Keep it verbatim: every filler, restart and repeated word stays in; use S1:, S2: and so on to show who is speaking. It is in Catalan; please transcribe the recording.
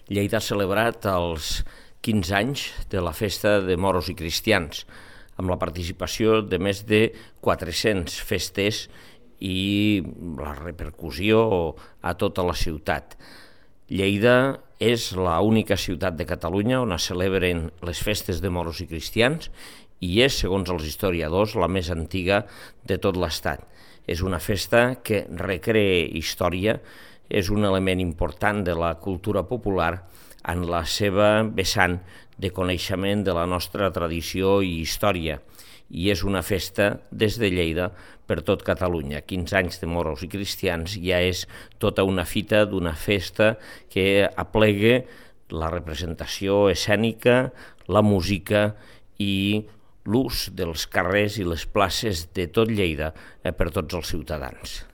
S1: Lleida ha celebrat els quinze anys de la festa de moros i cristians, amb la participació de més de quatre-cents festes i la repercussió a tota la ciutat. Lleida és l'única ciutat de Catalunya on es celebren les festes de moros i cristians i és, segons els historiadors, la més antiga de tot l'Estat. És una festa que recrea història, és un element important de la cultura popular en la seva vessant de coneixement de la nostra tradició i història. I és una festa des de Lleida per tot Catalunya. quinze anys de moros i cristians ja és tota una fita d'una festa que aplega la representació escènica, la música i l'ús dels carrers i les places de tot Lleida per tots els ciutadans.